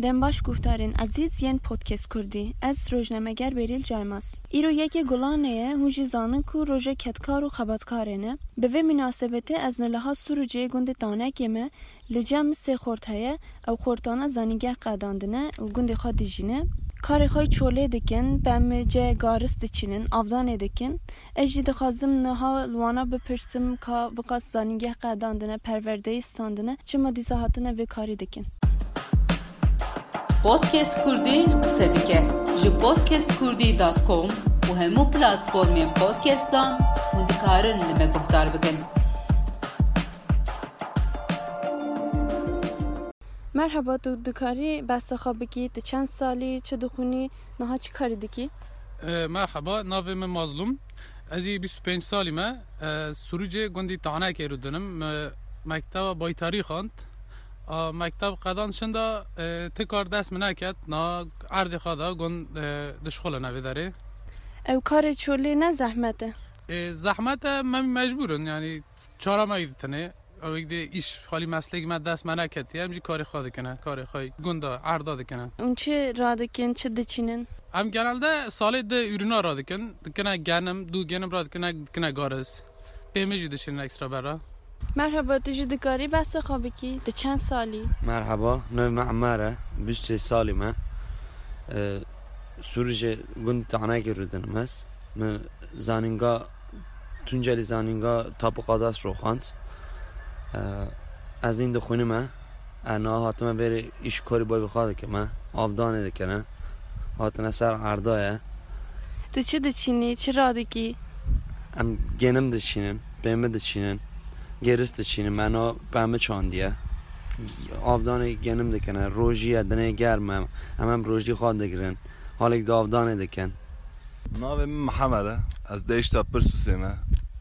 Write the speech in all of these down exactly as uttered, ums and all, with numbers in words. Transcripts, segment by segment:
Dem baş guhdarên ezîz yên Podcast Kurdî. Ez rojnameger Berîl Caymaz. Îro yekê Gulanê ye, hûn jî zanin ku roja kedkar û xebatkarê ne. Bi vê minasebetê ez niha Sûrûcê gundê Tanekê me, li cem sê xort heye, ew xortana zanîngeh qedandine û gundê xwe dijîne. Karê xwe çolê dikin, bem cê garis diçînin, avdanê dikin. Ez jî dixwazim niha li wana bipirsim ka viqas zanîngeh qedandine, perwerdeyî standine, çima dîsa hatine vê karî dikin? Podcast Kurdî qise dike. Ji podcast kurdî dot com û hemû platformên podcastan hûn dikarin li me guhdar bikin. Merhaba, tu dikarî behsa xwe bikî, tu çend salî, çi dixwînî, niha çi karî dikî? E, merhaba, navê min Mazlûm. Ez ê bîst û pênc salî me. E, Sûrûcê gundî Tanekê rûdinim. Me mekteba baytarî xwend. A, mekteb qedan şinda, e, ti kar dest min neket. Na erdê xwe da gund, e, dişxulin evê derê. Ew karê çolê ne zehmet e? E, zehmet e, me mecbûr in, yanî çara me yî ditinê. Ew ê dê îş halî meslek me dest me neketiye, em jî karê xwe dikine, karê xwe gunda, erda dikine. Hûn çi radikin, çi diçînin? Em genelde salê di ürüna radikin, dikine genim, du genim radikine, dikine garis. Pê min jî diçînin ekstra berra. Merhaba, tu jî dikarî behsa xwe bikî? Tu çend salî? Merhaba, navê min Emer e, bîst û sê salî me. E, Sûrûcê gund Tanekê rûdinim ez. Min zanînga, Tunceli zanînga Tapu Qadas rûxand. E, ez nîn dixwînime. E, niha hatime vêrê îş karî bayvê xwe dikime. Avdanê dikine. Hatine ser erda ye. Tu çi diçînî, çi radikî? Em genim diçînin, pêmi diçînin, gêris diçînin, me no pêmi çandiye. Avdanê genim dikine, rojî ye, dinê germ e, em, em rojî xwe digirin, halêk di avdanê dikin. Navê min Mihemed e, ez deşta Pirsûsê me,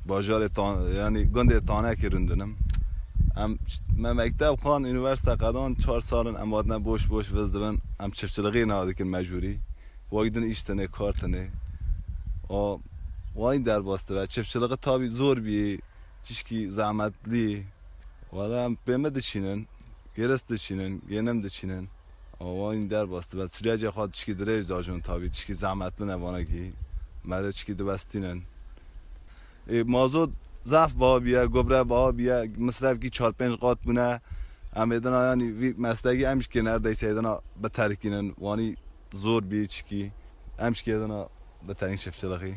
bajarê Tan-, yanî gundê Tanekê rûndinim. Em, me mekteb xwend, unîversîte qedan, çar sal in em hatine boş boş viz dibin, em çiftçilixî niha dikin mecbûrî. Wek din îş tine, kar tine. O, wayî derbas dibe. Çiftçilixî tabî zor bî, tişkî zehmetlî. Wala em pêmi diçînin, gêris diçînin, genim diçînin. O, wayî derbas dibe. Sürecê xwe tişkî dirêj dajin tabî, tişkî zehmetli ne vanekî. Merê tişkî diwestînin. Ê, mazot zaf baha bîye, gobre baha bîye, misrefkî çar pênc qat bûne. Em ê dina, yanî vî meslekî em jî kê neredeyse ê dina biterkînin. Wanî zor bî çikî. Em jî kê dina biterkîn çiftçilixî.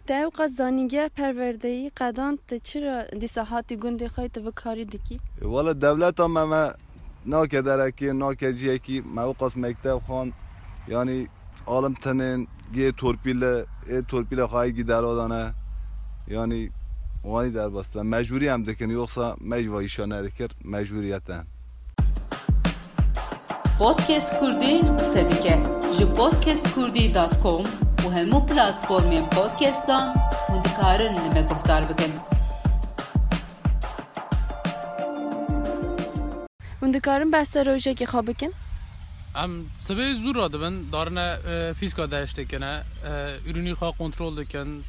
Te ewqas zanîngeh perwerdeyî qedand, tu çira dîsa hatî gundê xwe tu vê karî dikî? E, wele dewleta me, me nake derekê, nake ciyekî, me ewqas mekteb xwend, yanî alim tenên, gê torpîle, ê torpîle xwe gî derodane, yanî wanî derbas dibe. Mecbûrî em dikin, yoksa me jî va îşa nedikir, mecbûriyet e. Podcast Kurdî qise dike. Ji podcast kurdî dot com û hemû platformên podcastan hûn dikarin li me guhdar bikin. Hûn dikarin behsa rojekê xwe bikin? Em sibê zû radibin, darine, e, fîzka deştê kine, e, ürünî xwe kontrol dikin,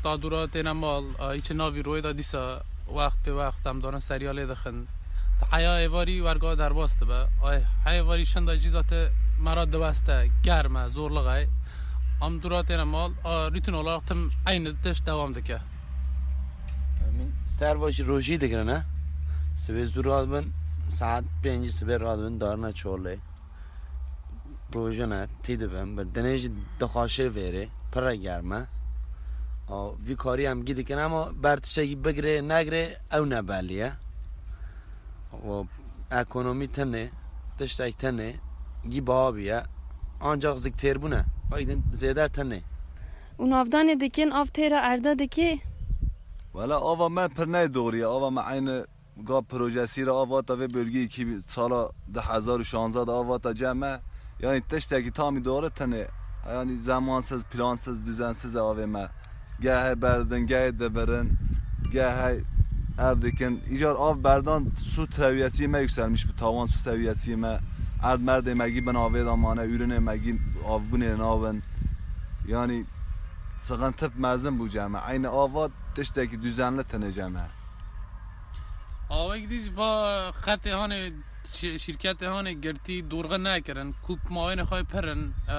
ta dûra têne mal, e, îçi navî royê de dîsa wext pê wext em darin seriyalê dixin. Heya êvarî werga derbas dibe. Ay, heya êvarî şinda cîza te me ra diweste, germ e, zorlix e. Em dûra têne mal, a, rûtin olarak tim eynî tişt dewam dike. Min serva jî rojî digirine. Sibê zû radibin, saet pêncî sibê radibin, darine çolê. Rojine tî dibin, bi dinê jî dixwaşê vêrê, pire germ e. A, vî karî em gî dikin, ama ber tiştekî bigirê, negirê, ew ne belî ye. Û ekonomî tenê, tiştek tenê, gî baha bûye. Ancak zik têrbûne, wek din zêde tenê. Û navdanê dikin, av têra erda dikê? Wela ava me pir ne doğru ye, ava me aynı Ga projesî re av hata vê bölgeyê kî sala du hezar û şanzeh de av hata cem me. Yanî tiştekî tamî dore tenê, yanî zemansız, plansız, düzensiz e avê me. Geh hey berdin, geh hey dibirin, geh hey ev dikin. Îcar av berdan, su seviyesi me yükselmiş bi, tavan su seviyesi me. Erd merdê me gî bin avê de mane, ürünê me gî avbûnê navin. Yanî sıkıntı mezin bû cem me. Eynî ava tiştekî düzenli tenê cem me. Awek dî va qetê hanê Şi-, şîrketê hanê girtî dorxe nekirin. Kûp mawênê xwe pir in. E,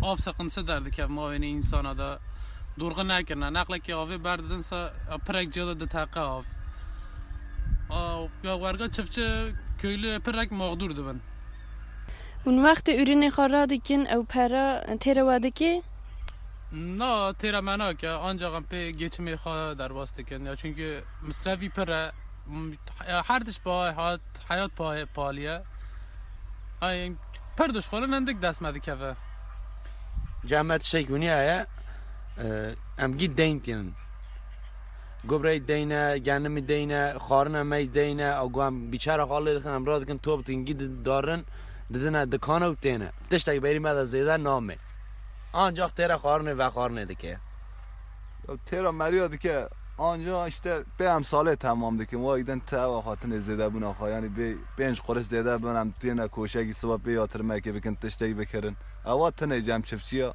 av seqintisi derdikeve mawênê însana de. Dorxe nekirine. Neqlekê avê berdidin se, e, pirek cihê de diteqe av. A, ya werga çiftçi köylü pirek mağdur dibin. Hûn wextê ürünê xwe radikin, ew pera têre we dike? Na, têra me nake, ancak em pê geçimê xwe derbas dikin. Ya çünkü misrefî pir e. M-, ya her tişt paye hat, hayat paye, pahalı ye. Ay, pir dişxulin hindik dest me dikeve. Cem me tiştek hûnî heye, e, em gî deyn tînin. Gubrey deyne, genimî deyne, xarine me deyne, a gu em bîçera xalê dixin, em radikin top dikin, gî di-, darin, didine dikana û têne. Tiştek berî me de zêde name. Ancak têre xarinê vexarinê dike. Ya têra meriya dike, ancak işte pê em salê temam dikin. Wa giden te ewa xatinê zêde bûna xwe. Yani bê pênc quruş zêde bin, em têne koşekî siba pê yatırmekê bikin, tiştek bikirin. Ewa tine cem çiftçiya.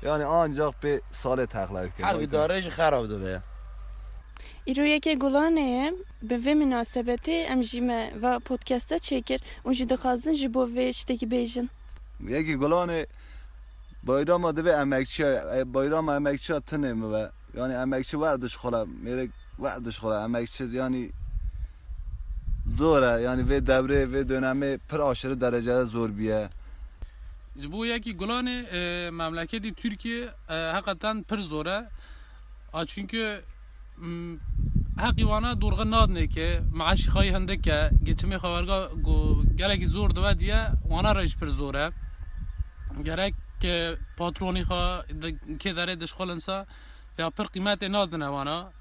Yani ancak pê salê teqle dikin. Her Wa giden- idare jî xerab dibe. Îro yekê Gulanê ye, bi vê minasebetê em jî me va podcasta çêkir û jî dixwazin ji bo vê ştekî bêjin. Yekê Gulanê bayrama divê emekçiya, e, bayrama emekçiya tinê mi be. Yani emekçi we dişxula, mêrek we dişxula, emekçi yani zor e, yani vê devrê, vê dönemê pir aşırı derecede zor biye. Ji bo yekî Gulanê, e, memleketî Tirkiye, e, heqeten pir zor e. A, çünkü, m, heqî wana dorxe nadinê ke, meaşî xayî hindik e, geçimê xwe werga go-, gelekî zor dibe diye, wana re jî pir zor e. Gerek ke patronî xwe di-, kê derê dişxulin sa, ya pir qîmetê nadine wana.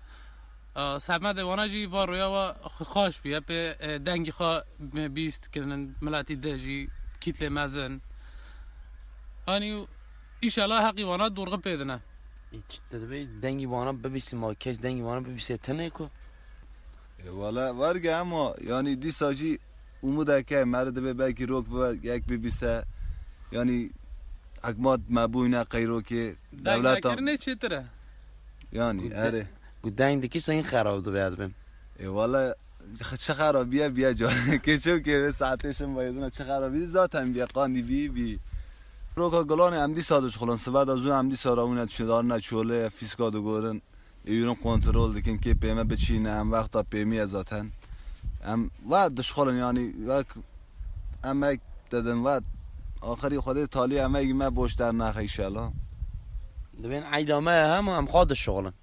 A, semedê wana jî va roya wa xwe xaş bûye, pê, e, dengî xwe bîst kirin, miletî de jî kîtlê mezin. Anî, înşallah heqî wana dorxe pê dine. Ê, çi te divê dengî wana bibîsî, ma kes dengî wana bibîsê tenê ku? E, wala, werge ama, yani, dîsa jî umudeke, meri divê belkî rok bibe, yek bibîse, yani, hikmat me bûyne qeyrokê, Deng dewleta. Nekirinê çêtir e. Yani, Gu de-, erê. Gu deng dikî sen xerab dibe, ya dibim. E, wala, çi xerabiye biye ca. Keço ke ve saetê şin bayedina çi xerabiye zaten biye, qandî bî, bî. Roka Gulanê em dîsa dişxulin, sibe de zû em dîsa rawine dişin, darine çolê, fîska digorin. Ê, ûrin kontrol dikin, kê pê me biçîne, em wexta pêmî ye zaten. Em we dişxulin, yani, wek emek dedin, we axirî Xwedê talî emegî me boş dernexe înşallah. Dibên eyda me ye hema em xwe dişxulin.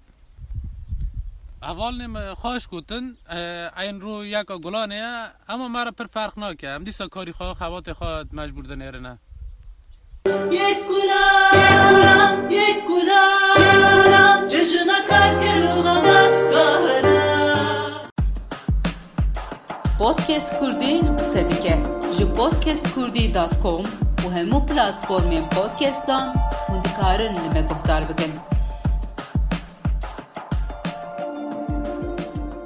Hevalnê me xweş gotin, e, eyn ro yeka Gulanê ye, ama me re pir ferq nake. Em dîsa karî xwe, xebatê xwe mecbûr dinêrine. Yek Gulan, yek Gulan, yek Gulan, yek Gulan, cejina karker û xebatkara. Podcast Kurdî qise dike. Ji podcast kurdî dot com û hemû platformên podcastan hûn dikarin li me guhdar bikin.